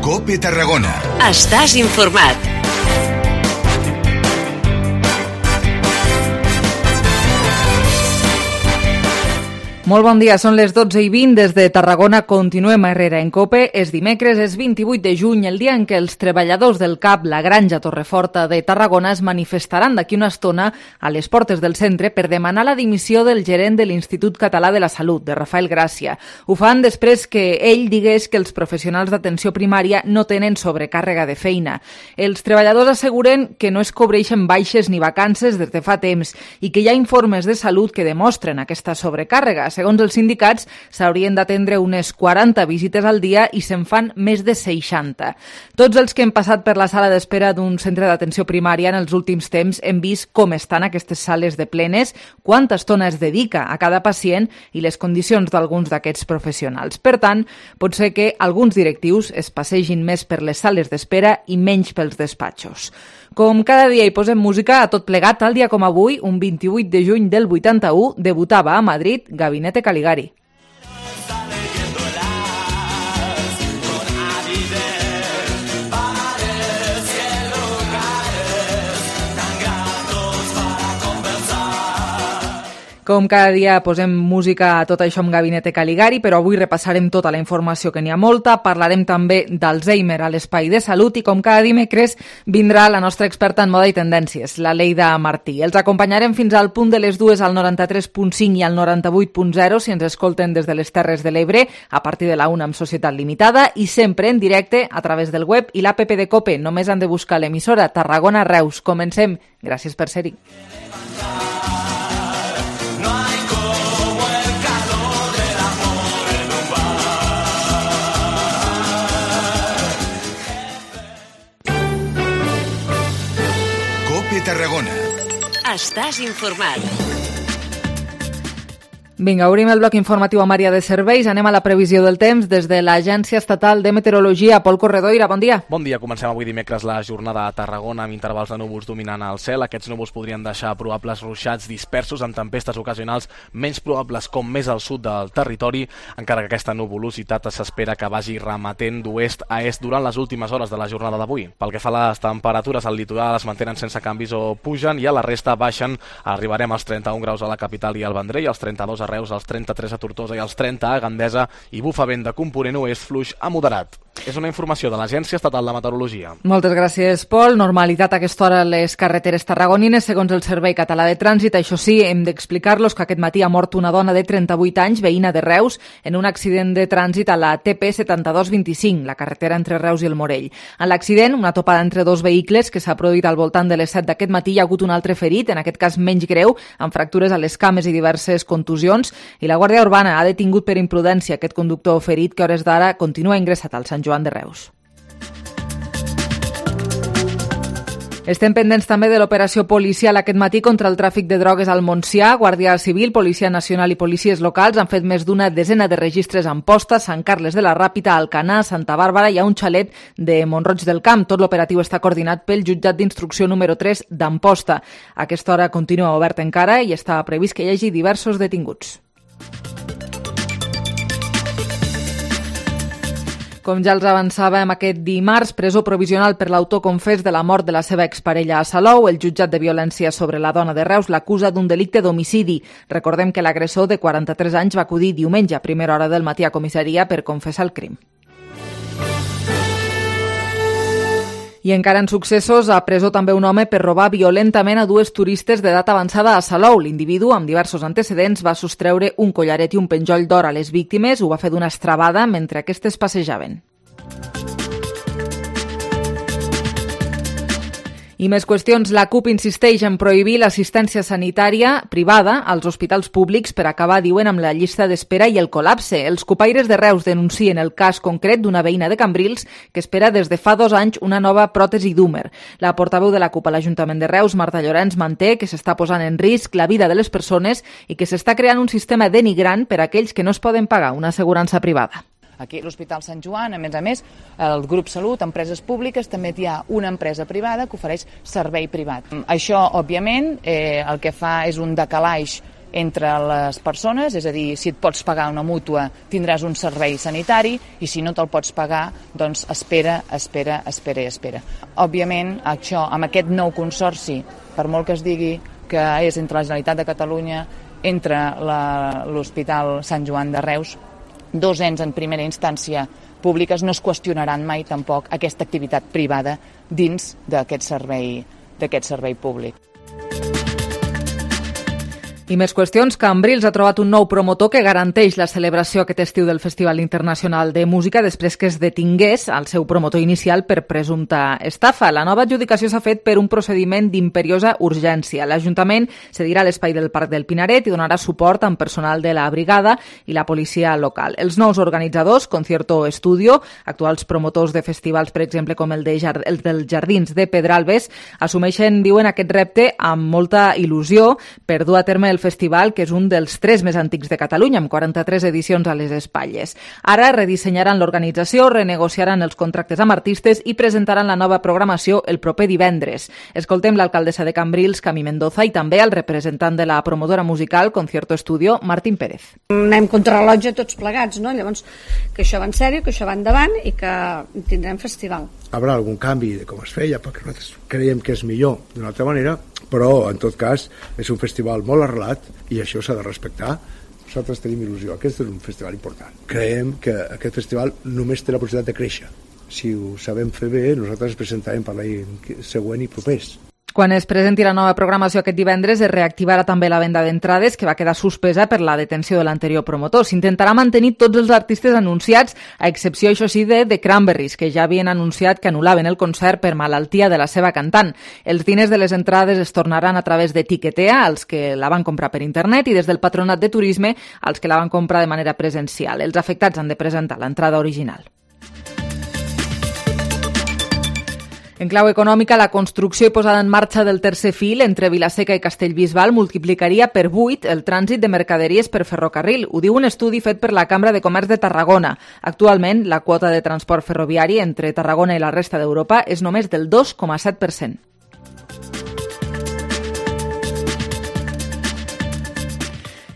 COPE Tarragona. Estàs informat. Molt bon dia, són les 12:20 des de Tarragona. Continuem a Herrera en COPE. És dimecres, és 28 de juny, el dia en què els treballadors del CAP, la Granja Torreforta de Tarragona, es manifestaran d'aquí una estona a les portes del centre per demanar la dimissió del gerent de l'Institut Català de la Salut, de Rafael Gràcia. Ho fan després que ell digués que els professionals d'atenció primària no tenen sobrecàrrega de feina. Els treballadors asseguren que no es cobreixen baixes ni vacances des de fa temps i que hi ha informes de salut que demostren aquesta sobrecàrrega. Segons els sindicats, s'haurien d'atendre unes 40 visites al dia i se'n fan més de 60. Tots els que hem passat per la sala d'espera d'un centre d'atenció primària en els últims temps hem vist com estan aquestes sales de plenes, quanta estona es dedica a cada pacient i les condicions d'alguns d'aquests professionals. Per tant, pot ser que alguns directius es passegin més per les sales d'espera i menys pels despatxos. Com cada dia hi posem música a tot plegat, tal dia com avui, un 28 de juny del 81, debutava a Madrid Gabinete Caligari. Com cada dia posem música a tot això amb Gabinete Caligari, però avui repassarem tota la informació, que n'hi ha molta. Parlarem també d'Alzheimer a l'Espai de Salut i com cada dimecres vindrà la nostra experta en moda i tendències, la Leida Martí. Els acompanyarem fins al punt de les 2 al 93.5 i al 98.0 si ens escolten des de les Terres de l'Ebre a partir de la 1 amb Societat Limitada i sempre en directe a través del web i l'APP de COPE. Només han de buscar l'emissora Tarragona Reus. Comencem. Gràcies per ser-hi. Tarragona. Estàs informat. Vinga, obrim el bloc informatiu amb àrea de serveis. Anem a la previsió del temps des de l'Agència Estatal de Meteorologia. Pol Corredoira, bon dia. Bon dia. Comencem avui dimecres la jornada a Tarragona amb intervals de núvols dominant el cel. Aquests núvols podrien deixar probables ruixats dispersos amb tempestes ocasionals menys probables com més al sud del territori, encara que aquesta nuvolositat s'espera que vagi remetent d'oest a est durant les últimes hores de la jornada d'avui. Pel que fa a les temperatures, al litoral es mantenen sense canvis o pugen i a la resta baixen. Arribarem als 31 graus a la capital i al Vendrell, als 32 a Reus, als 33 a Tortosa i als 30 a Gandesa i bufa vent de component oest fluix a moderat. És una informació de l'Agència Estatal de Meteorologia. Moltes gràcies, Pol. Normalitat a aquesta hora a les carreteres tarragonines, segons el Servei Català de Trànsit. Això sí, hem d'explicar-los que aquest matí ha mort una dona de 38 anys, veïna de Reus, en un accident de trànsit a la TP 7225, la carretera entre Reus i el Morell. En l'accident, una topada entre dos vehicles que s'ha produït al voltant de les 7 d'aquest matí, hi ha hagut un altre ferit, en aquest cas menys greu, amb fractures a les cames i diverses contusions, i la Guàrdia Urbana ha detingut per imprudència aquest conductor ferit que a hores d'ara continua ingressat al Sant Joan de Reus. Estem pendents també de l'operació policial aquest matí contra el tràfic de drogues al Montsià. Guàrdia Civil, Policia Nacional i policies locals han fet més d'una desena de registres a Amposta, Sant Carles de la Ràpita, Alcanar, Santa Bàrbara i a un xalet de Mont-roig del Camp. Tot l'operatiu està coordinat pel jutjat d'instrucció número 3 d'Amposta. A aquesta hora continua obert encara i està previst que hi hagi diversos detinguts. Com ja els avançàvem aquest dimarts, presó provisional per l'autor confés de la mort de la seva exparella a Salou. El jutjat de violència sobre la dona de Reus l'acusa d'un delicte d'homicidi. Recordem que l'agressor de 43 anys va acudir diumenge a primera hora del matí a comissaria per confessar el crim. I encara en successos, a presó també un home per robar violentament a dues turistes d'edat avançada a Salou. L'individu, amb diversos antecedents, va sostreure un collaret i un penjoll d'or a les víctimes. Ho va fer d'una estrabada mentre aquestes passejaven. I més qüestions. La CUP insisteix en prohibir l'assistència sanitària privada als hospitals públics per acabar, diuen, amb la llista d'espera i el col·lapse. Els cupaires de Reus denuncien el cas concret d'una veïna de Cambrils que espera des de fa 2 anys una nova pròtesi d'húmer. La portaveu de la CUP a l'Ajuntament de Reus, Marta Llorenç, manté que s'està posant en risc la vida de les persones i que s'està creant un sistema denigrant per a aquells que no es poden pagar una assegurança privada. Aquí a l'Hospital Sant Joan, a més, el grup Salut, empreses públiques, també hi ha una empresa privada que ofereix servei privat. Això, òbviament, el que fa és un decalaix entre les persones, és a dir, si et pots pagar una mútua tindràs un servei sanitari i si no te'l pots pagar, doncs espera. Òbviament, això, amb aquest nou consorci, per molt que es digui que és entre la Generalitat de Catalunya, entre l'Hospital Sant Joan de Reus, dos ens en primera instància públiques, no es qüestionaran mai tampoc aquesta activitat privada dins d'aquest servei públic. I més qüestions. Cambrils ha trobat un nou promotor que garanteix la celebració aquest estiu del Festival Internacional de Música després que es detingués al seu promotor inicial per presumpta estafa. La nova adjudicació s'ha fet per un procediment d'imperiosa urgència. L'Ajuntament cedirà l'espai del Parc del Pinaret i donarà suport amb personal de la brigada i la policia local. Els nous organitzadors, Concierto Estudio, actuals promotors de festivals, per exemple, com el dels Jardins de Pedralbes, assumeixen, diuen, aquest repte amb molta il·lusió per dur a terme el festival, que és un dels 3 més antics de Catalunya, amb 43 edicions a les espatlles. Ara redissenyaran l'organització, renegociaran els contractes amb artistes i presentaran la nova programació el proper divendres. Escoltem l'alcaldessa de Cambrils, Camí Mendoza, i també el representant de la promotora musical Concierto Estudio, Martín Pérez. Anem contra rellotge tots plegats, no? Llavors, que això va en sèrio, que això va endavant i que tindrem festival. Haurà algun canvi de com es feia, perquè nosaltres creiem que és millor d'una altra manera, però en tot cas és un festival molt arrelat i això s'ha de respectar. Nosaltres tenim il·lusió, aquest és un festival important. Creiem que aquest festival només té la possibilitat de créixer. Si ho sabem fer bé, nosaltres ens presentarem per l'any següent i propers. Quan es presenti la nova programació aquest divendres es reactivarà també la venda d'entrades, que va quedar suspesa per la detenció de l'anterior promotor. S'intentarà mantenir tots els artistes anunciats, a excepció, això sí, de The Cranberries, que ja havien anunciat que anul·laven el concert per malaltia de la seva cantant. Els diners de les entrades es tornaran a través de Tiquetea, als que la van comprar per internet, i des del Patronat de Turisme, als que la van comprar de manera presencial. Els afectats han de presentar l'entrada original. En clau econòmica, la construcció i posada en marxa del tercer fil entre Vilaseca i Castellbisbal multiplicaria per 8 el trànsit de mercaderies per ferrocarril. Ho diu un estudi fet per la Cambra de Comerç de Tarragona. Actualment, la quota de transport ferroviari entre Tarragona i la resta d'Europa és només del 2,7%.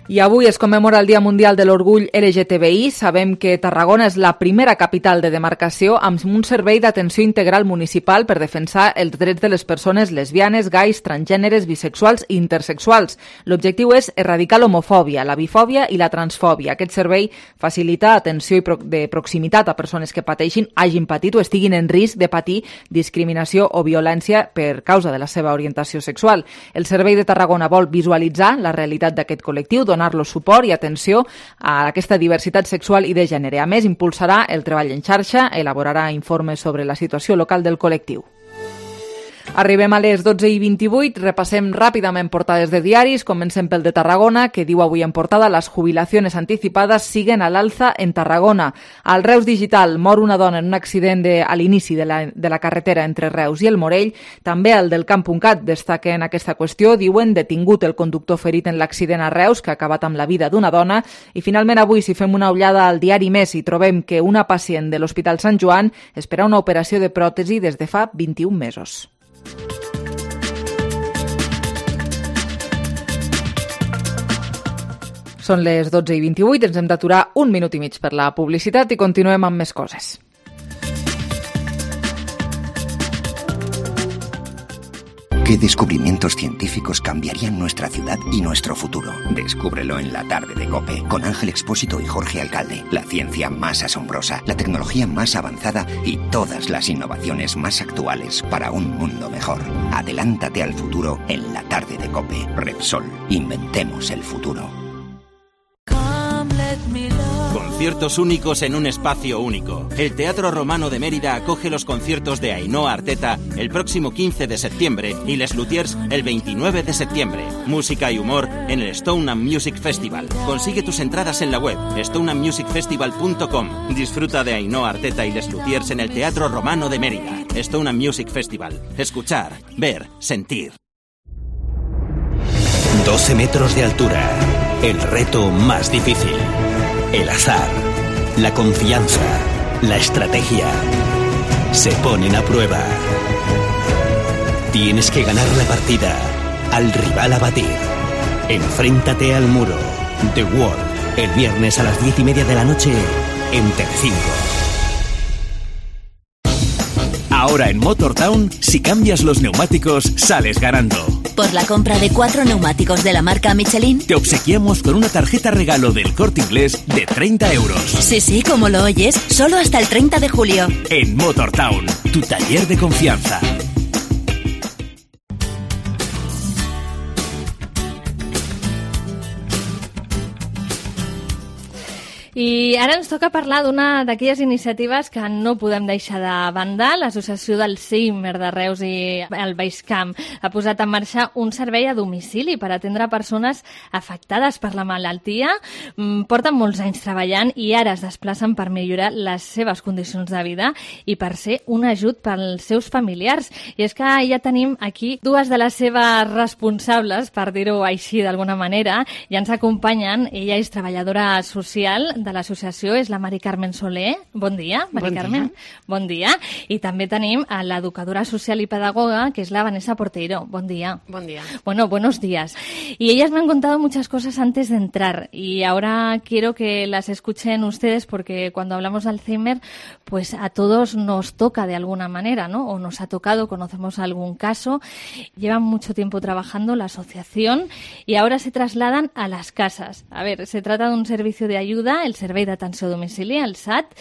I avui es commemora el Dia Mundial de l'Orgull LGTBI. Sabem que Tarragona és la primera capital de demarcació amb un servei d'atenció integral municipal per defensar els drets de les persones lesbianes, gais, transgèneres, bisexuals i intersexuals. L'objectiu és erradicar l'homofòbia, la bifòbia i la transfòbia. Aquest servei facilita atenció de proximitat a persones que pateixin, hagin patit o estiguin en risc de patir discriminació o violència per causa de la seva orientació sexual. El Servei de Tarragona vol visualitzar la realitat d'aquest col·lectiu, donar-los suport i atenció a aquesta diversitat sexual i de gènere. A més, impulsarà el treball en xarxa, elaborarà informes sobre la situació local del col·lectiu. Arribem a les 12:28, repassem ràpidament portades de diaris. Comencem pel de Tarragona, que diu avui en portada: las jubilaciones anticipadas siguen al alza en Tarragona. Al Reus Digital mor una dona en un accident a l'inici de la carretera entre Reus i el Morell. També el del Camp.cat destaquen aquesta qüestió. Diuen detingut el conductor ferit en l'accident a Reus, que ha acabat amb la vida d'una dona. I finalment avui, si fem una ullada al diari Més, hi trobem que una pacient de l'Hospital Sant Joan espera una operació de pròtesi des de fa 21 mesos. Són les 12:28, ens hem d'aturar un minut i mig per la publicitat i continuem amb més coses. ¿Qué descubrimientos científicos cambiarían nuestra ciudad y nuestro futuro? Descúbrelo en la tarde de COPE, con Ángel Expósito y Jorge Alcalde. La ciencia más asombrosa, la tecnología más avanzada y todas las innovaciones más actuales para un mundo mejor. Adelántate al futuro en la tarde de COPE. Repsol, inventemos el futuro. Conciertos únicos en un espacio único. El Teatro Romano de Mérida acoge los conciertos de Ainhoa Arteta el próximo 15 de septiembre y Les Luthiers el 29 de septiembre. Música y humor en el Stone and Music Festival. Consigue tus entradas en la web stoneandmusicfestival.com. Disfruta de Ainhoa Arteta y Les Luthiers en el Teatro Romano de Mérida. Stone and Music Festival. Escuchar, ver, sentir. 12 metros de altura. El reto más difícil. El azar, la confianza, la estrategia se ponen a prueba. Tienes que ganar la partida al rival a batir. Enfréntate al muro. The Wall, el viernes a las 10:30 de la noche en Telecinco. Ahora en Motortown, si cambias los neumáticos, sales ganando. Por la compra de 4 neumáticos de la marca Michelin, te obsequiamos con una tarjeta regalo del Corte Inglés de 30 euros. Sí, como lo oyes, solo hasta el 30 de julio. En Motortown, tu taller de confianza. I ara ens toca parlar d'una d'aquelles iniciatives que no podem deixar de banda. L'Associació d'Alzheimer de Reus i el Baix Camp ha posat en marxa un servei a domicili per atendre persones afectades per la malaltia. Porten molts anys treballant i ara es desplacen per millorar les seves condicions de vida i per ser un ajut pels seus familiars. I és que ja tenim aquí dues de les seves responsables, per dir-ho així d'alguna manera, i ens acompanyen. Ella és treballadora social de l'associació, és la Mari Carmen Soler. Bon dia, Mari Carmen. Bon dia. I també tenim a l'educadora social y pedagoga, que es la Vanessa Porteiro. Bon día. Buen día. Bueno, buenos días. Y ellas me han contado muchas cosas antes de entrar y ahora quiero que las escuchen ustedes porque cuando hablamos de Alzheimer, pues a todos nos toca de alguna manera, ¿no? O nos ha tocado, conocemos algún caso. Llevan mucho tiempo trabajando la asociación y ahora se trasladan a las casas. A ver, se trata de un servicio de ayuda, el Servei d'Atenció a Domicili, el SAT.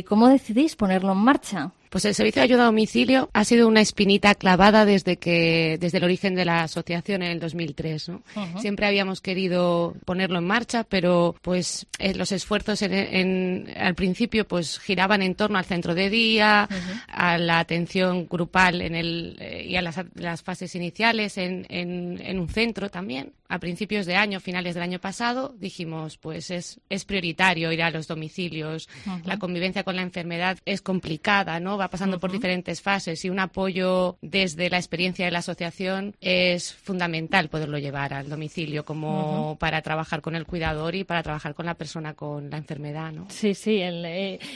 ¿Cómo decidís ponerlo en marcha? Pues el servicio de ayuda a domicilio ha sido una espinita clavada desde el origen de la asociación en el 2003, ¿no? Siempre habíamos querido ponerlo en marcha, pero pues los esfuerzos al principio pues giraban en torno al centro de día, a la atención grupal y a las fases iniciales en un centro también. A principios de año, finales del año pasado, dijimos pues es prioritario ir a los domicilios. La convivencia con la enfermedad es complicada, ¿no? Va pasando por diferentes fases y un apoyo desde la experiencia de la asociación es fundamental poderlo llevar al domicilio como para trabajar con el cuidador y para trabajar con la persona con la enfermedad, ¿no? Sí,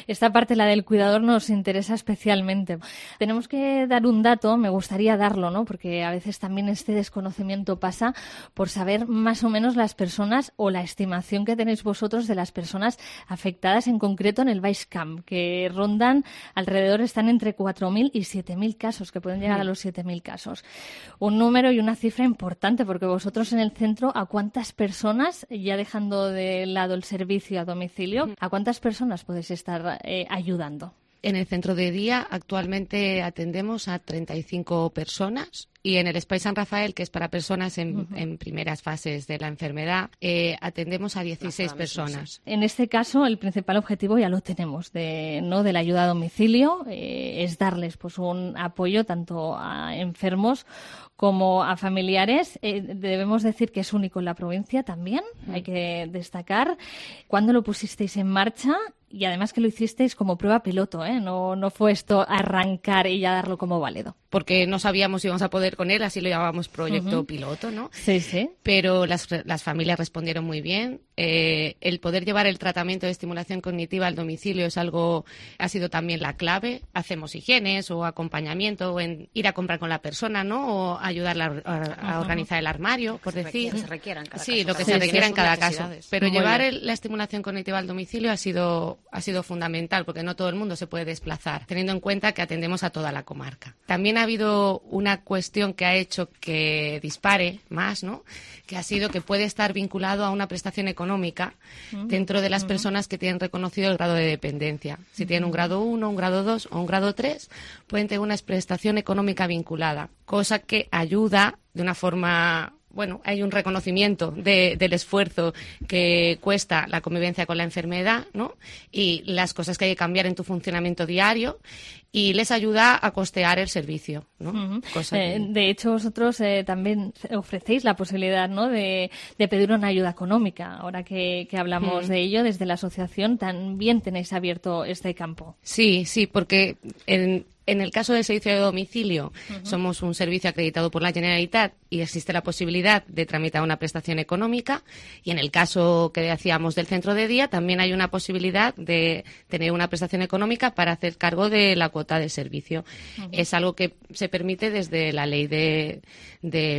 esta parte, la del cuidador, nos interesa especialmente. Tenemos que dar un dato, me gustaría darlo, ¿no? Porque a veces también este desconocimiento pasa por saber más o menos las personas o la estimación que tenéis vosotros de las personas afectadas en concreto en el Baix Camp, que rondan alrededor, están entre 4.000 y 7.000 casos, que pueden llegar a los 7.000 casos. Un número y una cifra importante, porque vosotros en el centro, ¿a cuántas personas, ya dejando de lado el servicio a domicilio, a cuántas personas podéis estar ayudando? En el centro de día actualmente atendemos a 35 personas y en el Espai San Rafael, que es para personas en primeras fases de la enfermedad, atendemos a 16 personas. En este caso, el principal objetivo ya lo tenemos de la ayuda a domicilio, es darles pues un apoyo tanto a enfermos como a familiares. Debemos decir que es único en la provincia también, hay que destacar. ¿Cuándo lo pusisteis en marcha? Y además que lo hicisteis como prueba piloto, ¿eh? No fue esto arrancar y ya darlo como válido. Porque no sabíamos si íbamos a poder con él, así lo llamábamos proyecto piloto, ¿no? Sí. Pero las familias respondieron muy bien. El poder llevar el tratamiento de estimulación cognitiva al domicilio ha sido también la clave. Hacemos higienes o acompañamiento o en ir a comprar con la persona, ¿no? O ayudarla a organizar el armario, por decir. Lo que se requiera en cada caso. Sí, lo que se requiera en cada caso. Pero Muy llevar bien. la estimulación cognitiva al domicilio ha sido fundamental, porque no todo el mundo se puede desplazar, teniendo en cuenta que atendemos a toda la comarca. También ha habido una cuestión que ha hecho que dispare más, ¿no? Que ha sido que puede estar vinculado a una prestación económica dentro de las personas que tienen reconocido el grado de dependencia. Si tienen un grado 1, un grado 2 o un grado 3, pueden tener una prestación económica vinculada, cosa que ayuda de una forma... Bueno, hay un reconocimiento del esfuerzo que cuesta la convivencia con la enfermedad, ¿no? Y las cosas que hay que cambiar en tu funcionamiento diario y les ayuda a costear el servicio, ¿no? De hecho, vosotros también ofrecéis la posibilidad, ¿no? de pedir una ayuda económica. Ahora que hablamos de ello, desde la asociación también tenéis abierto este campo. Sí, porque en el caso del servicio de domicilio, somos un servicio acreditado por la Generalitat y existe la posibilidad de tramitar una prestación económica. Y en el caso que decíamos del centro de día, también hay una posibilidad de tener una prestación económica para hacer cargo de la cuota cuota de servicio. Es algo que se permite desde la ley de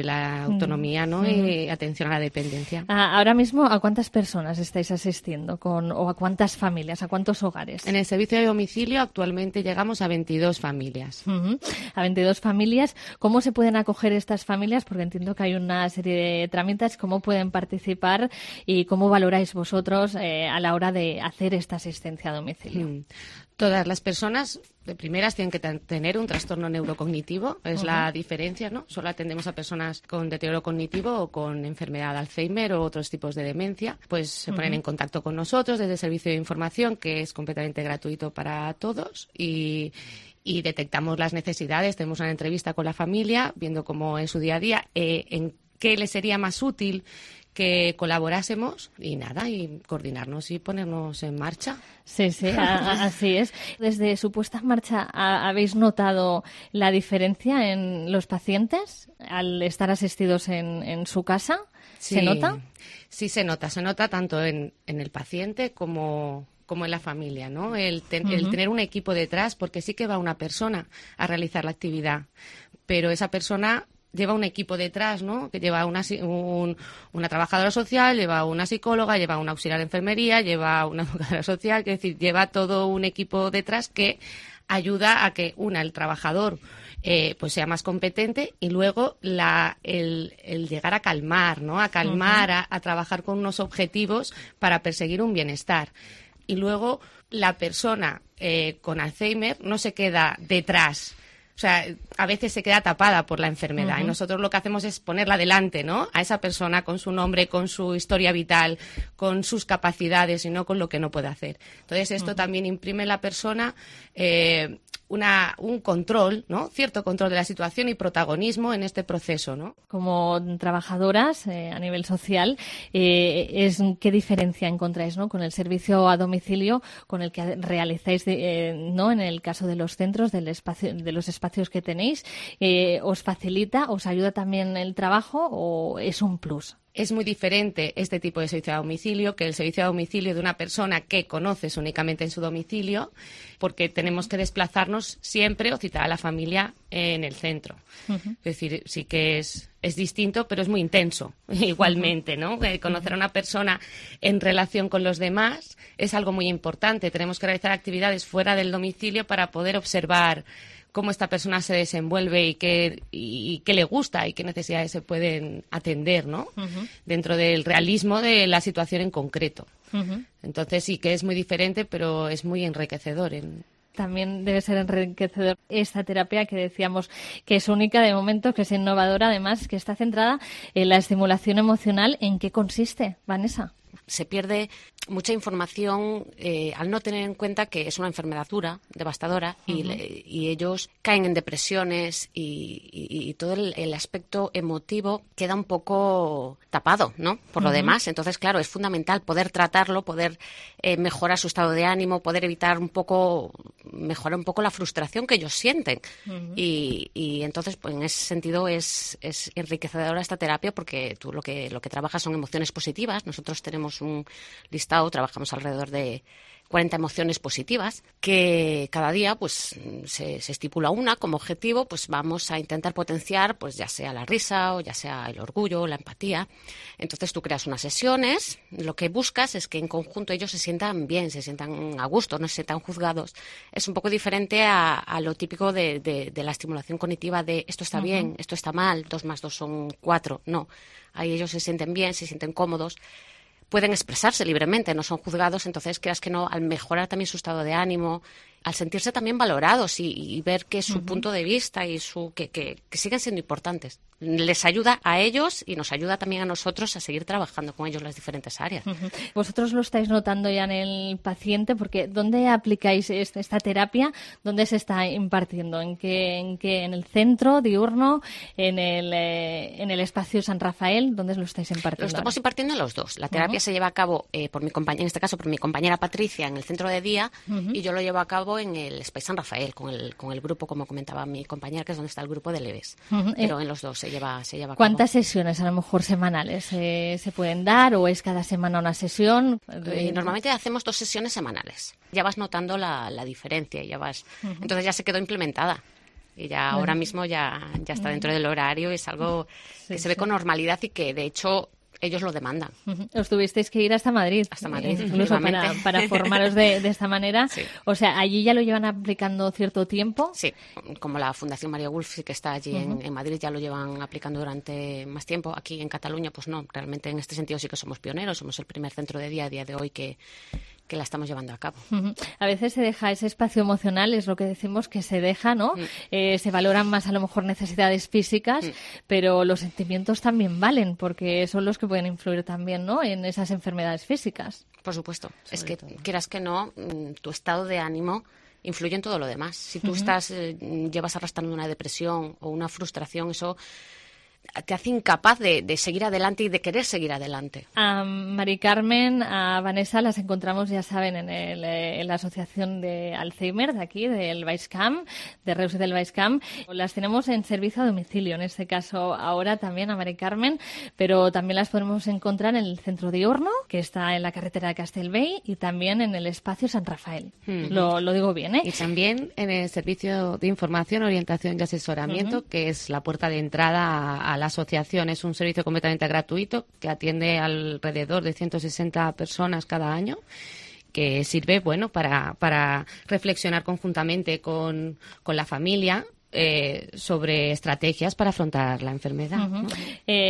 la autonomía, ¿no? Y atención a la dependencia. Ahora mismo, ¿a cuántas personas estáis asistiendo o a cuántas familias, a cuántos hogares? En el servicio de domicilio actualmente llegamos a 22 familias. A 22 familias. ¿Cómo se pueden acoger estas familias? Porque entiendo que hay una serie de trámites. ¿Cómo pueden participar y cómo valoráis vosotros a la hora de hacer esta asistencia a domicilio? Todas las personas de primeras tienen que tener un trastorno neurocognitivo, es la diferencia, ¿no? Solo atendemos a personas con deterioro cognitivo o con enfermedad de Alzheimer o otros tipos de demencia. Pues se ponen en contacto con nosotros desde el servicio de información, que es completamente gratuito para todos, y detectamos las necesidades, tenemos una entrevista con la familia, viendo cómo es su día a día, en qué le sería más útil que colaborásemos y coordinarnos y ponernos en marcha. Sí, así es. Desde su puesta en marcha, ¿habéis notado la diferencia en los pacientes al estar asistidos en su casa? Sí, ¿Se nota? Sí, se nota tanto en el paciente como en la familia, ¿no? El tener un equipo detrás, porque sí que va una persona a realizar la actividad, pero esa persona lleva un equipo detrás, ¿no? Que lleva una trabajadora social, lleva una psicóloga, lleva un auxiliar de enfermería, lleva una educadora social, es decir, lleva todo un equipo detrás que ayuda a que, el trabajador pues sea más competente, y luego el llegar a calmar, ¿no? A calmar, a trabajar con unos objetivos para perseguir un bienestar. Y luego la persona con Alzheimer no se queda detrás. O sea, a veces se queda tapada por la enfermedad y nosotros lo que hacemos es ponerla delante, ¿no? A esa persona con su nombre, con su historia vital, con sus capacidades y no con lo que no puede hacer. Entonces, esto también imprime en la persona un control, ¿no? Cierto control de la situación y protagonismo en este proceso, ¿no? Como trabajadoras a nivel social, ¿qué diferencia encontráis, ¿no? Con el servicio a domicilio con el que realizáis, ¿no? En el caso de los centros, de los espacios que tenéis, ¿os facilita, os ayuda también el trabajo o es un plus? Es muy diferente este tipo de servicio a domicilio que el servicio a domicilio de una persona que conoces únicamente en su domicilio, porque tenemos que desplazarnos siempre o citar a la familia en el centro. Es decir, sí que es distinto, pero es muy intenso igualmente, ¿no? Conocer a una persona en relación con los demás es algo muy importante. Tenemos que realizar actividades fuera del domicilio para poder observar cómo esta persona se desenvuelve y qué le gusta y qué necesidades se pueden atender, ¿no? Dentro del realismo de la situación en concreto. Entonces sí que es muy diferente, pero es muy enriquecedor. También debe ser enriquecedor esta terapia que decíamos que es única de momento, que es innovadora, además, que está centrada en la estimulación emocional. ¿En qué consiste, Vanessa? Se pierde mucha información al no tener en cuenta que es una enfermedad dura, devastadora, y ellos caen en depresiones y todo el aspecto emotivo queda un poco tapado, ¿no? Por lo demás. Entonces, claro, es fundamental poder tratarlo, poder mejorar su estado de ánimo, poder mejorar un poco la frustración que ellos sienten. Y entonces, pues en ese sentido es enriquecedora esta terapia, porque tú lo que trabajas son emociones positivas. Nosotros tenemos un listado, trabajamos alrededor de 40 emociones positivas, que cada día pues se estipula una como objetivo, pues vamos a intentar potenciar, pues ya sea la risa o ya sea el orgullo, la empatía. Entonces tú creas unas sesiones, lo que buscas es que en conjunto ellos se sientan bien, se sientan a gusto, no se sientan juzgados. Es un poco diferente a lo típico de la estimulación cognitiva de esto está bien, esto está mal, 2 más 2 son 4. No, ahí ellos se sienten bien, se sienten cómodos, pueden expresarse libremente, no son juzgados. Entonces, creas que no, al mejorar también su estado de ánimo, al sentirse también valorados y ver que su punto de vista y que siguen siendo importantes, les ayuda a ellos y nos ayuda también a nosotros a seguir trabajando con ellos en las diferentes áreas. Vosotros lo estáis notando ya en el paciente, porque ¿dónde aplicáis esta terapia? ¿Dónde se está impartiendo? ¿En el centro diurno? ¿En el espacio San Rafael? ¿Dónde lo estáis impartiendo? Lo estamos impartiendo en los dos. La terapia se lleva a cabo en este caso por mi compañera Patricia en el centro de día, y yo lo llevo a cabo cabo en el Space San Rafael, con el grupo, como comentaba mi compañera, que es donde está el grupo de Leves. Pero en los dos se lleva a cabo. ¿Cuántas sesiones a lo mejor semanales se pueden dar o es cada semana una sesión? Normalmente hacemos 2 sesiones semanales. Ya vas notando la diferencia, entonces ya se quedó implementada. Y ya ahora mismo ya está dentro del horario, es algo que se ve con normalidad y que de hecho ellos lo demandan. Os tuvisteis que ir hasta Madrid. Incluso para formaros de esta manera. Sí. O sea, ¿allí ya lo llevan aplicando cierto tiempo? Sí, como la Fundación María Wolf, que está allí en Madrid, ya lo llevan aplicando durante más tiempo. Aquí en Cataluña, pues no, realmente en este sentido sí que somos pioneros, somos el primer centro de día a día de hoy que la estamos llevando a cabo. A veces se deja ese espacio emocional, es lo que decimos, que se deja, ¿no? Se valoran más a lo mejor necesidades físicas, pero los sentimientos también valen, porque son los que pueden influir también, ¿no?, en esas enfermedades físicas. Por supuesto. Es que, quieras que no, tu estado de ánimo influye en todo lo demás. Si tú llevas arrastrando una depresión o una frustración, eso te hace incapaz de seguir adelante y de querer seguir adelante. A Mari Carmen, a Vanessa las encontramos, ya saben, en la asociación de Alzheimer de aquí, del Baix-Camp, de Reus y del Baix-Camp. Las tenemos en servicio a domicilio, en este caso ahora también a Mari Carmen, pero también las podemos encontrar en el centro de Horno, que está en la carretera de Castellbell, y también en el espacio San Rafael. Lo digo bien, ¿eh? Y también en el servicio de información, orientación y asesoramiento, que es la puerta de entrada a la asociación. Es un servicio completamente gratuito que atiende alrededor de 160 personas cada año, que sirve, bueno, para reflexionar conjuntamente con la familia sobre estrategias para afrontar la enfermedad.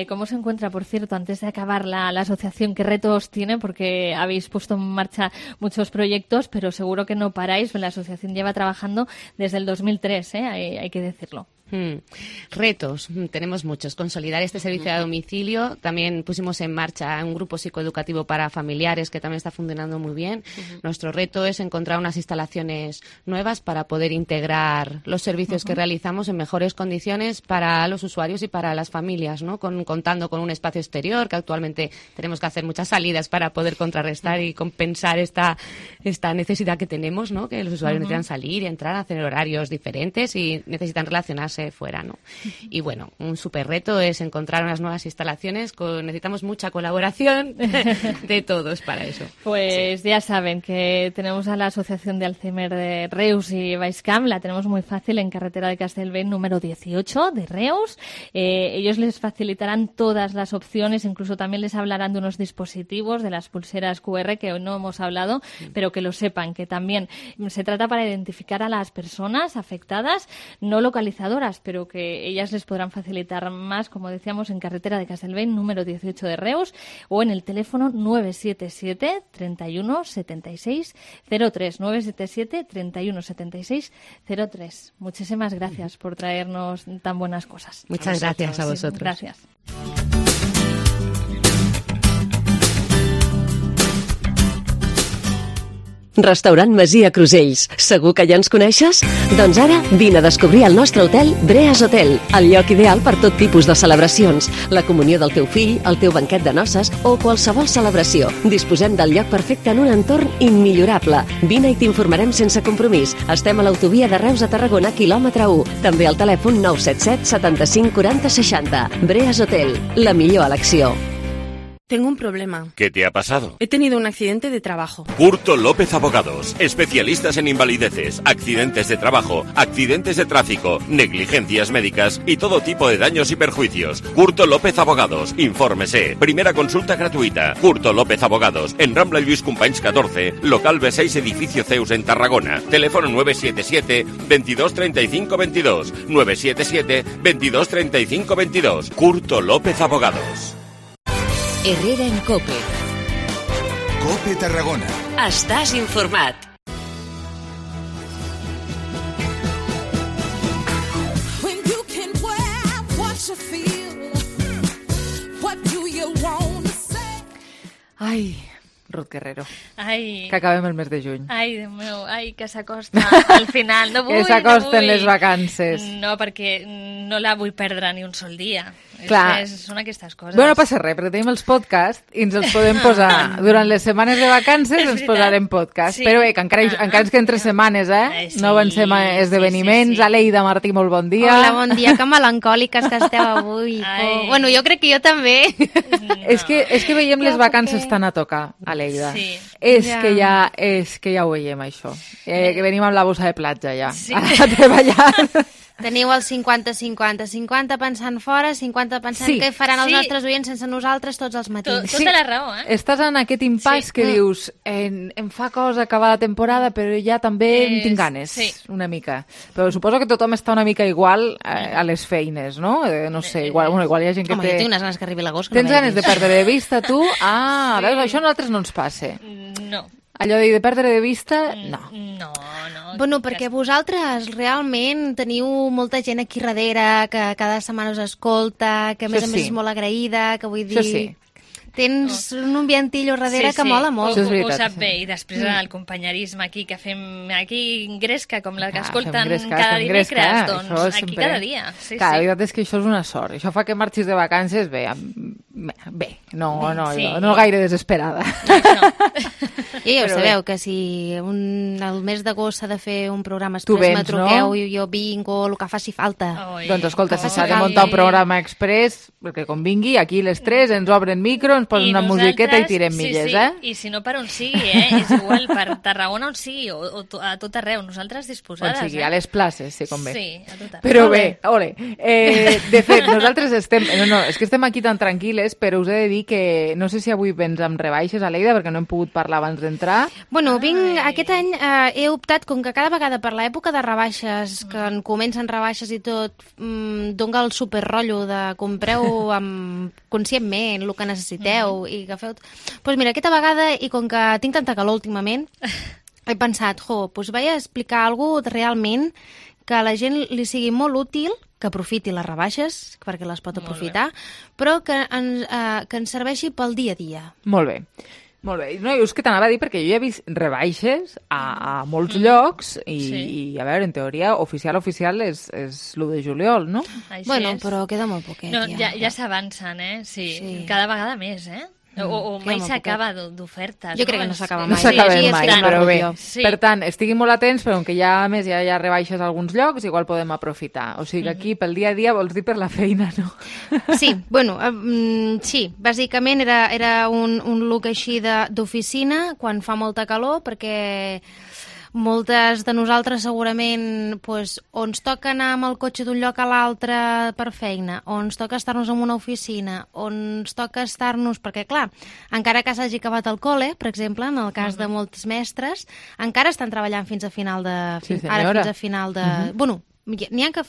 ¿Cómo se encuentra, por cierto, antes de acabar la asociación? ¿Qué retos tiene? Porque habéis puesto en marcha muchos proyectos, pero seguro que no paráis. La asociación lleva trabajando desde el 2003, hay que decirlo. Retos, tenemos muchos. Consolidar este servicio a domicilio. También pusimos en marcha un grupo psicoeducativo para familiares que también está funcionando muy bien. Nuestro reto es encontrar unas instalaciones nuevas para poder integrar los servicios que realizamos en mejores condiciones para los usuarios y para las familias, ¿no? Contando con un espacio exterior, que actualmente tenemos que hacer muchas salidas para poder contrarrestar y compensar esta necesidad que tenemos, ¿no? Que los usuarios necesitan salir y entrar, hacer horarios diferentes y necesitan relacionarse fuera, ¿no? Y bueno, un súper reto es encontrar unas nuevas instalaciones. Necesitamos mucha colaboración de todos para eso. Pues ya saben que tenemos a la Asociación de Alzheimer de Reus y Baix-Camp, la tenemos muy fácil en carretera de Castellbell número 18 de Reus. Ellos les facilitarán todas las opciones, incluso también les hablarán de unos dispositivos, de las pulseras QR que hoy no hemos hablado, pero que lo sepan, que también se trata para identificar a las personas afectadas, no localizadoras, pero que ellas les podrán facilitar más, como decíamos, en carretera de Castellbell número 18 de Reus, o en el teléfono 977 31 76 03, 977 31 76 03. Muchísimas gracias por traernos tan buenas cosas. Muchas gracias a vosotros. Gracias. Restaurant Masia Crusells. Segur que ja ens coneixes? Doncs ara vine a descobrir el nostre hotel Breas Hotel, el lloc ideal per tot tipus de celebracions, la comunió del teu fill, el teu banquet de noces o qualsevol celebració. Disposem del lloc perfecte en un entorn immillorable. Vine i t'informarem sense compromís. Estem a l'autovia de Reus a Tarragona, quilòmetre 1. També al telèfon 977 75 40 60. Breas Hotel, la millor elecció. Tengo un problema. ¿Qué te ha pasado? He tenido un accidente de trabajo. Curto López Abogados, especialistas en invalideces, accidentes de trabajo, accidentes de tráfico, negligencias médicas y todo tipo de daños y perjuicios. Curto López Abogados, infórmese. Primera consulta gratuita. Curto López Abogados, en Rambla Lluís Companys 14, local B6, edificio Zeus en Tarragona. Teléfono 977 22 35 22. 977 22 35 22. Curto López Abogados. Herrera en COPE. COPE Tarragona. Estàs informat. Ai, Ruth Guerrero. Ai. Que acabem el mes de juny. Ai, Déu meu, ai, que s'acosta al final. No vull, que s'acosten les vacances. No, perquè no la vull perdre ni un sol dia. Clar. Són aquestes coses. Bueno, no passa res, perquè tenim els podcasts i ens els podem posar. Durant les setmanes de vacances ens posarem podcast. Però bé, que encara ens queden 3 setmanes, no avancem a esdeveniments. Aleida Martí, molt bon dia. Hola, bon dia, que melancòliques que esteu avui. Bueno, jo crec que jo també. És que veiem les vacances tan a tocar, Aleida. És que ja ho veiem, això. Que venim amb la bossa de platja, ja, a treballar. Teniu el 50-50, 50 pensant fora, 50 pensant què faran els nostres oients sense nosaltres tots els matins. Tota la raó, Estàs en aquest impàs que dius, em fa cosa acabar la temporada, però ja també en tinc ganes, una mica. Però suposo que tothom està una mica igual a les feines, no? No sé, igual hi ha gent que Home, jo tinc unes ganes que arribi l'agost. Tens ganes de perdre de vista, tu? Veus, això a nosaltres no ens passa. No. Allò de perdre de vista, no. No. Bueno, perquè vosaltres realment teniu molta gent aquí darrere que cada setmana us escolta, que a més és molt agraïda, que vull dir... Tens un ambientillo darrere que mola molt. Ho sap bé, i després el companyerisme aquí, que fem aquí gresca, com la que escolten cada dimecres, doncs aquí cada dia. La veritat és que això és una sort. Això fa que marxis de vacances bé, no gaire desesperada. I ja ho sabeu, que si el mes d'agost s'ha de fer un programa express, me truqueu i jo vinc o el que faci falta. Doncs escolta, si s'ha de muntar un programa express, perquè convingui, aquí les 3 ens obren micro, ens posen una musiqueta i tirem milles, I si no per on sigui, és igual, per Tarragona on sigui, o a tot arreu, nosaltres disposades. On sigui, a les places, si convé. Sí, a tot arreu. Però bé, ole. De fet, nosaltres estem... No, és que estem aquí tan tranquil·les, però us he de dir que no sé si avui vens amb rebaixes, Aleida, perquè no hem pogut parlar abans d'entrar. Bueno, aquest any he optat, com que cada vegada per l'època de rebaixes, que en comencen rebaixes i tot, dona el superrotllo de compreu conscientment el que necessiteu i agafeu... Doncs mira, aquesta vegada, i com que tinc tanta calor últimament, he pensat, doncs vaig a explicar alguna cosa realment que a la gent li sigui molt útil, que aprofiti les rebaixes, perquè les pot aprofitar, però que ens serveixi pel dia a dia. Molt bé. Molt bé. No, és que t'anava a dir perquè jo ja he vist rebaixes a molts llocs i, a veure, en teoria, oficial és l'1 de juliol, no? Bueno, però queda molt poquet. No, ja s'avancen, sí. Cada vegada més, O mai s'acaba d'ofertes. Jo crec que no s'acaba mai. No s'acaba mai, però bé. Per tant, estiguin molt atents, però com que ja hi ha rebaixes a alguns llocs, igual podem aprofitar. O sigui que aquí, pel dia a dia, vols dir per la feina, no? Sí, bueno, sí. Bàsicament era un look així d'oficina, quan fa molta calor, perquè... Moltes de nosaltres segurament o ens toca anar amb el cotxe d'un lloc a l'altre per feina, o ens toca estar-nos en una oficina, o ens toca estar-nos... Perquè, clar, encara que s'hagi acabat el col·le, per exemple, en el cas de molts mestres, encara estan treballant fins a final de... Bueno, n'hi ha que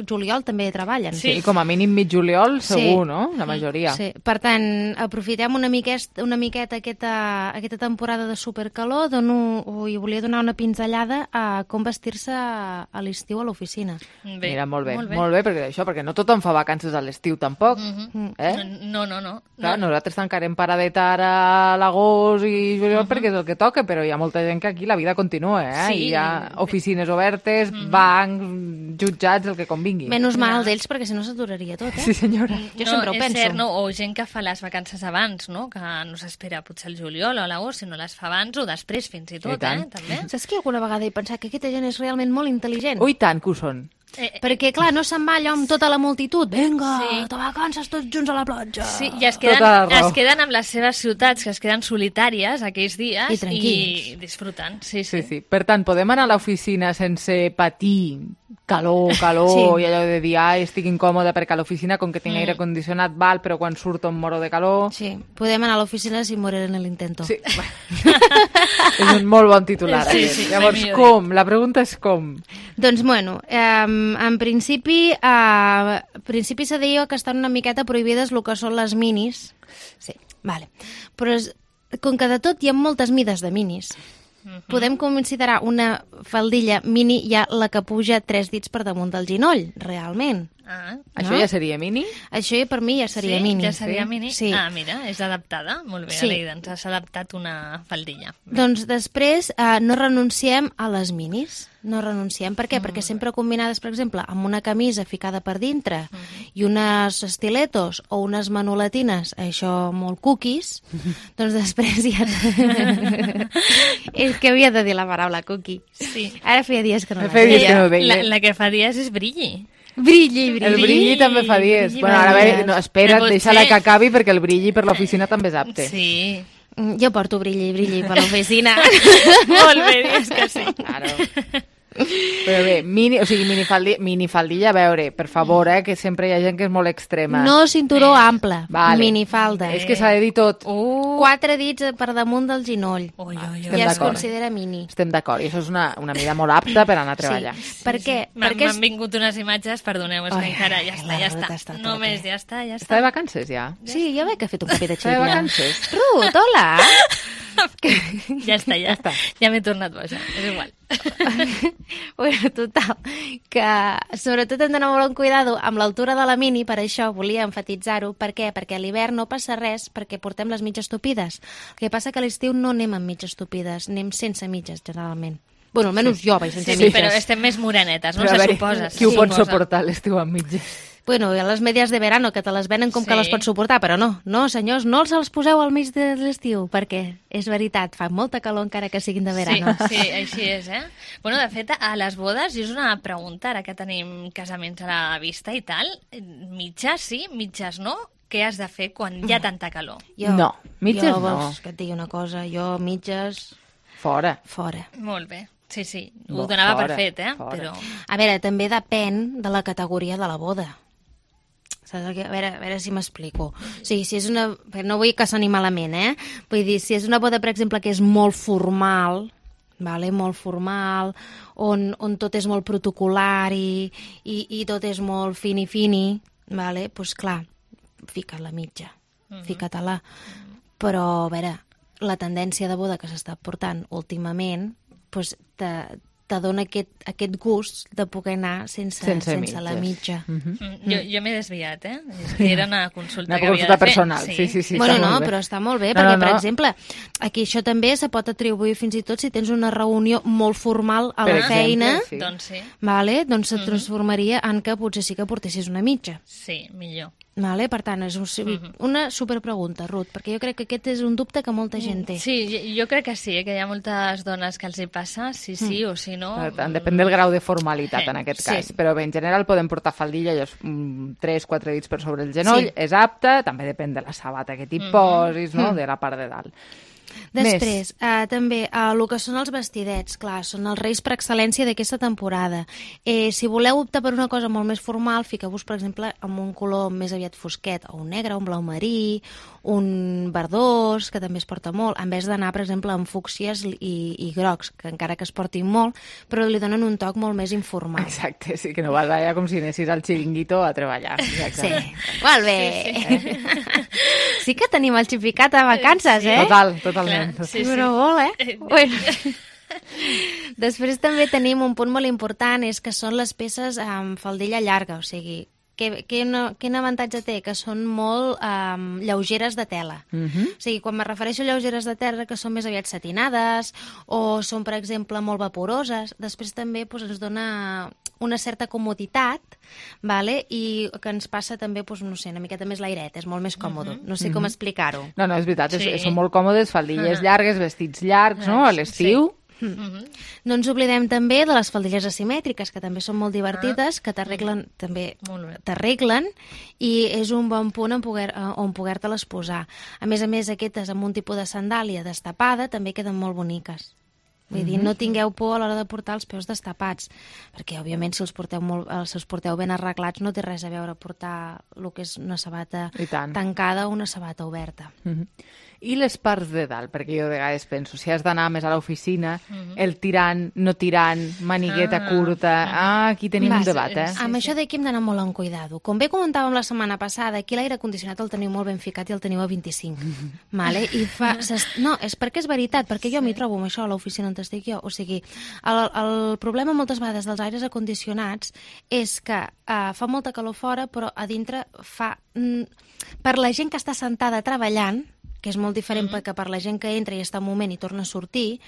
juliol també treballen. Sí, com a mínim mig juliol, segur, no? La majoria. Sí. Per tant, aprofitem una miqueta aquesta temporada de supercalor, i volia donar una pinzellada a com vestir-se a l'estiu a l'oficina. Mira, molt bé, perquè no tothom fa vacances a l'estiu, tampoc. No. Clar, nosaltres tancarem paradeta ara a l'agost i juliol perquè és el que toca, però hi ha molta gent que aquí la vida continua, i hi ha oficines obertes, bancs, jutjats, el que convingui. Menys mal d'ells, perquè si no s'aturaria tot, Sí, senyora. Jo sempre ho penso. És cert, o gent que fa les vacances abans, no? Que no s'espera potser el juliol o l'agost, sinó les fa abans o després, fins i tot, també. Saps que alguna vegada he pensat que aquesta gent és realment molt intel·ligent? Ui, tant que ho són. Perquè, clar, no se'n va allò amb tota la multitud. Vinga, de vacances tots junts a la platja. Sí, i es queden amb les seves ciutats, que es queden solitàries aquells dies i disfruten. Sí. Per tant, podem anar a l'oficina sense patir calor i allò de dir, estic incòmode perquè a l'oficina, com que tinc aire condicionat, val, però quan surto em moro de calor. Sí, podem anar a l'oficina sin morir en l'intento. Sí. És un molt bon titular. Llavors, com? La pregunta és com? Doncs, bueno, en principi se deia que estan una miqueta prohibides el que són les minis. Sí, vale. Però com que de tot hi ha moltes mides de minis, podem considerar una faldilla mini ja la que puja 3 dits per damunt del ginoll, realment. Això ja seria mini? Això per mi ja seria mini. Ja seria mini? Sí. Mira, és adaptada. Molt bé, Sí. Aleida, ens has adaptat una faldilla. Doncs després no renunciem a les minis. No renunciem. Per què? Perquè sempre combinades, per exemple, amb una camisa ficada per dintre i unes estiletos o unes manoletines, això molt cookies, doncs després ja... És que havia de dir la paraula cookie. Sí. Ara feia dies que no Feia dies que no ho veia. La que fa dies és brilli. Brilli. El brilli també fa dies. Bueno, ara no, espera't, deixa-la que acabi perquè el brilli per l'oficina també és apte. Sí. Jo porto brilli per l'oficina. Molt bé, és que sí. Claro. Però bé, minifaldilla, a veure, per favor, que sempre hi ha gent que és molt extrema. No cinturó ample, Vale. minifalda. És que s'ha de dir tot. 4 dits per damunt del genoll. Estem Ja es d'acord. considera mini. Estem d'acord, i això és una mida molt apta per anar a treballar. Per què? M'han vingut unes imatges, perdoneu, és que encara ja està. Només ja està. Està de vacances, ja? Sí, ja veig que ha fet un canvi de xip. Està de vacances? Ruth, hola! Ja està. Ja m'he tornat boja, és igual. Bueno, total, que sobretot hem d'anar molt en cuidado amb l'altura de la mini, per això volia enfatitzar-ho. Per què? Perquè a l'hivern no passa res perquè portem les mitges tupides. El que passa que a l'estiu no anem amb mitges tupides, anem sense mitges, generalment. Bueno, almenys jo vaig sense mitges. Però estem més morenetes, no? Però a Se veure, suposa. qui ho pot suportar l'estiu amb mitges? Bueno, hi ha les medias de verano, que te les venen com que les pots suportar, però no, senyors, no els poseu al mig de l'estiu, perquè és veritat, fa molta calor encara que siguin de verano. Sí, així és, Bueno, de fet, a les bodes, i és una pregunta, ara que tenim casaments a la vista i tal, mitges sí, mitges no? Què has de fer quan hi ha tanta calor? No, mitges no. Vols que et digui una cosa? Jo, mitges... Fora. Molt bé. Sí, ho donava per fet, però... A veure, també depèn de la categoria de la boda. Saps? A veure si m'explico. O sigui, si és una... No vull que soni malament, Vull dir, si és una boda, per exemple, que és molt formal, molt formal, on tot és molt protocolar i tot és molt fini, doncs clar, fica't la mitja, fica-te-la. Però, a veure, la tendència de boda que s'està portant últimament, doncs te dona aquest gust de poder anar sense la mitja. Jo m'he desviat, És que era una consulta una que havia consulta de fer. personal, sí. Bueno, no, però està molt bé, perquè, per exemple, aquí això també se pot atribuir fins i tot si tens una reunió molt formal a la feina, doncs sí. Doncs se transformaria en que potser sí que portessis una mitja. Sí, millor. Per tant, és una superpregunta, Ruth, perquè jo crec que aquest és un dubte que molta gent té. Sí, jo crec que sí, que hi ha moltes dones que els hi passa, sí o si no... Per tant, depèn del grau de formalitat en aquest cas. Però bé, en general podem portar faldilla, 3-4 dits per sobre el genoll, és apte, també depèn de la sabata que t'hi posis, de la part de dalt. Després, també, el que són els vestidets, clar, són els reis per excel·lència d'aquesta temporada. Si voleu optar per una cosa molt més formal, fiqueu-vos, per exemple, amb un color més aviat fosquet, o un negre, un blau marí, un verdós, que també es porta molt, en vez d'anar, per exemple, amb fúcsies i grocs, que encara que es portin molt, però li donen un toc molt més informal. Exacte, sí, que no vas allà com si anessis al xiringuito a treballar. Sí, molt bé. Sí que tenim el xipicat a vacances, Totalment. Però molt, Bueno. Després també tenim un punt molt important, és que són les peces amb faldilla llarga, o sigui, quin avantatge té? Que són molt lleugeres de tela. O sigui, quan me refereixo a lleugeres de tela, que són més aviat satinades o són, per exemple, molt vaporoses, després també ens dona una certa comoditat, i que ens passa també, no sé, una miqueta més l'airet, és molt més còmode. No sé com explicar-ho. No, és veritat, són molt còmodes, faldilles llargues, vestits llargs, a l'estiu. No ens oblidem també de les faldilles asimètriques, que també són molt divertides, que t'arreglen i és un bon punt on poder-te-les posar. A més, aquestes amb un tipus de sandàlia destapada també queden molt boniques. Vull dir, no tingueu por a l'hora de portar els peus destapats, perquè, òbviament, si els porteu ben arreglats, no té res a veure portar el que és una sabata tancada o una sabata oberta. I les parts de dalt, perquè jo de vegades penso, si has d'anar més a l'oficina, el tirant, no tirant, manigueta curta... Aquí tenim un debat, Amb això d'aquí hem d'anar molt en cuidado. Com bé comentàvem la setmana passada, aquí l'aire condicionat el teniu molt ben ficat i el teniu a 25. No, és perquè és veritat, perquè jo m'hi trobo amb això a l'oficina on t'estic jo. O sigui, el problema moltes vegades dels aires acondicionats és que fa molta calor fora, però a dintre fa... Per la gent que està sentada treballant, que és molt diferent que per la gent que entra i està un moment i torna a sortir,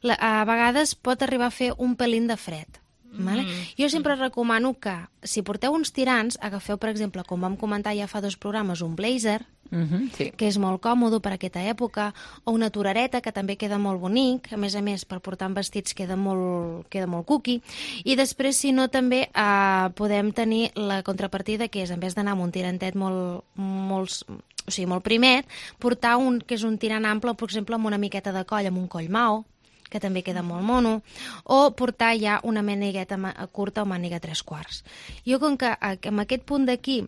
a vegades pot arribar a fer un pelín de fred. Vale? Jo sempre recomano que, si porteu uns tirants, agafeu, per exemple, com vam comentar ja fa 2 programes, un blazer, que és molt còmode per aquesta època, o una torareta, que també queda molt bonic, a més, per portar amb vestits queda molt cuqui, i després, si no, també podem tenir la contrapartida, que és, en vez d'anar amb un tirantet molt primet, portar un que és un tirant ample, per exemple, amb una miqueta de coll, amb un coll mao, que també queda molt mono, o portar ja una manigueta curta o màniga 3/4. Jo, com que amb aquest punt d'aquí,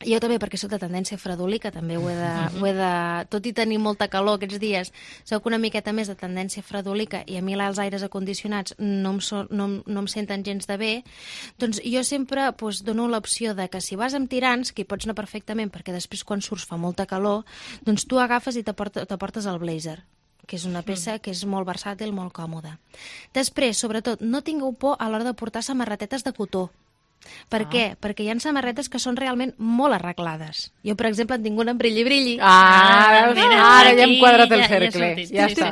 jo també, perquè soc de tendència fredolica, també ho he de... Tot i tenir molta calor aquests dies, soc una miqueta més de tendència fredolica i a mi els aires acondicionats no em senten gens de bé, doncs jo sempre dono l'opció de que si vas amb tirants, que hi pots anar perfectament, perquè després quan surts fa molta calor, doncs tu agafes i te portes el blazer, que és una peça que és molt versàtil, molt còmoda. Després, sobretot, no tingueu por a l'hora de portar samarretetes de cotó. Per què? Perquè hi ha samarretes que són realment molt arreglades. Jo, per exemple, en tinc una amb brilli-brilli. Ara ja hem quadrat el cercle. Ja està.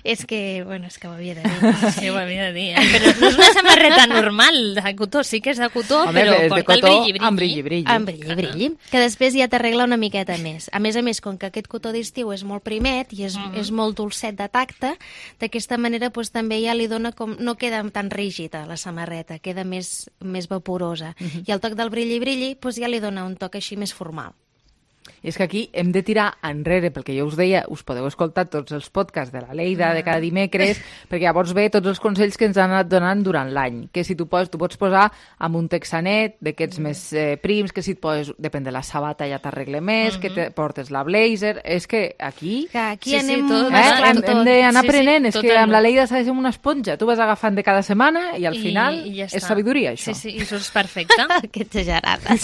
És que ho havia de dir. Sí, ho havia de dir. Però no és una samarreta normal de cotó, sí que és de cotó, però porta el brilli-brilli. Amb brilli-brilli. Amb brilli-brilli, que després ja t'arregla una miqueta més. A més, com que aquest cotó d'estiu és molt primet i és molt dolcet de tacte, d'aquesta manera també ja li dona com... No queda tan rígida la samarreta, queda més vaporosa. I el toc del brilli-brilli ja li dona un toc així més formal. I és que aquí hem de tirar enrere, perquè jo us deia, us podeu escoltar tots els podcasts de la Leida de cada dimecres, perquè llavors ve tots els consells que ens han anat donant durant l'any, que si tu pots posar amb un texanet d'aquests més prims, que si et poses, depèn de la sabata ja t'arregle més, que te portes la blazer, és que aquí anem hem d'anar aprenent, és que amb la Leida s'ha de ser una esponja, tu vas agafant de cada setmana i al final és sabidoria, això. Sí, i surts perfecte. Que exagerada.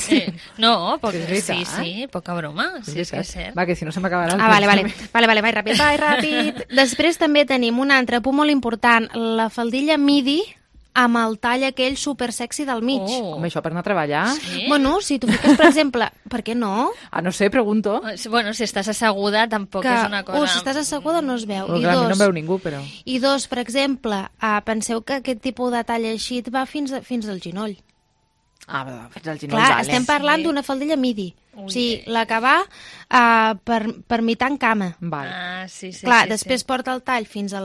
No, poca broma. Sí, és que és cert. Va, que si no se m'acabarà el Vale, vaig ràpid. Després també tenim un altre punt molt important, la faldilla midi amb el tall aquell super sexy del mig. Home, això per anar a treballar? Sí? Bueno, si tu fiques, per exemple, per què no? No sé, pregunto. Bueno, si estàs asseguda tampoc és una cosa... Si estàs asseguda no es veu. No em veu ningú, però... I dos, per exemple, penseu que aquest tipus de tall així et va fins al genoll. Fins al genoll. Clar, estem parlant d'una faldilla midi. O sigui, la que va per mitar en cama. Clar, després porta el tall fins a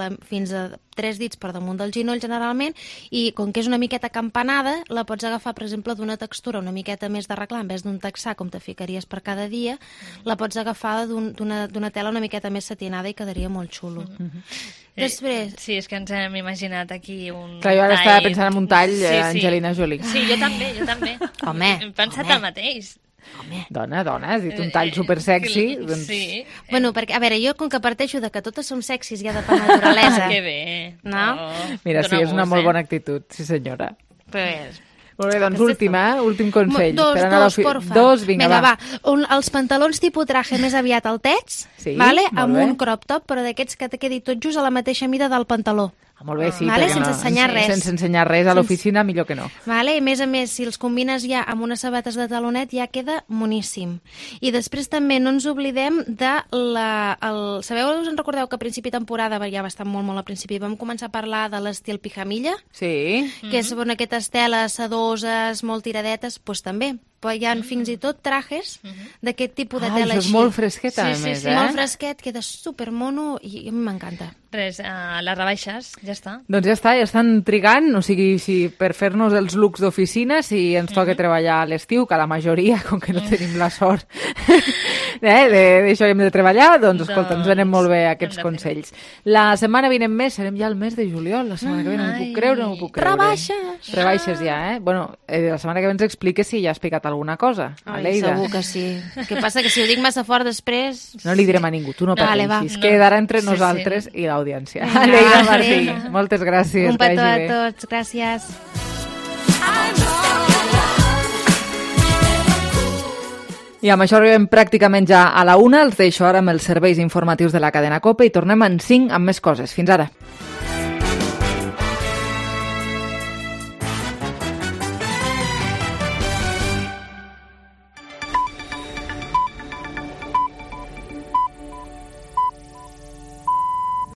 3 dits per damunt del genoll, generalment, i com que és una miqueta campanada, la pots agafar, per exemple, d'una textura una miqueta més d'arreglar, en vez d'un texà, com te ficaries per cada dia, la pots agafar d'una tela una miqueta més satinada i quedaria molt xulo. Després... Sí, és que ens hem imaginat aquí un Clar, jo ara estava pensant en un tall Angelina Jolie. Sí, jo també. Home, hem pensat el mateix. Dona, has dit un tall super sexy. Sí. Bueno, perquè, a veure, jo com que parteixo de que totes som sexis ja de per naturalesa. Que bé. No? Mira, sí, és una molt bona actitud, sí senyora. Pues... Molt bé, doncs últim consell. Dos, vinga, va. Els pantalons tipus traje més aviat altets, amb un crop top, però d'aquests que te quedi tot just a la mateixa mida del pantaló. Molt bé, sí, sense ensenyar res. Sense ensenyar res a l'oficina, millor que no. I a més, si els combines ja amb unes sabates de talonet, ja queda moníssim. I després també no ens oblidem de sabeu, us en recordeu que a principi de temporada, ja bastant molt al principi, vam començar a parlar de l'estil pijamilla? Sí. Que és aquestes teles sedoses, molt tiradetes, doncs també. Però hi ha fins i tot trajes d'aquest tipus de tela així. Això és molt fresquet, a més, Sí, molt fresquet, queda supermono i a mi m'encanta. Res, les rebaixes, ja està. Doncs ja està, ja estan trigant, o sigui, per fer-nos els looks d'oficina, si ens toca treballar a l'estiu, que la majoria, com que no tenim la sort d'això hem de treballar, doncs escolta, ens venen molt bé aquests consells. La setmana vinent més, serem ja al mes de juliol, la setmana que ve no m'ho puc creure. Rebaixes! Rebaixes ja, Bueno, la setmana que ve ens expliques si ja has explicat alguna cosa, Leida. Segur que sí. El que passa que si ho dic massa fort després... No li direm a ningú, tu no pateixis. Quedarà entre nosaltres i l'audiència. Leida Martí, moltes gràcies. Un petó a tots, gràcies. I amb això arribem pràcticament ja a la 1. Els deixo ara amb els serveis informatius de la cadena COPE i tornem en 5 amb més coses. Fins ara.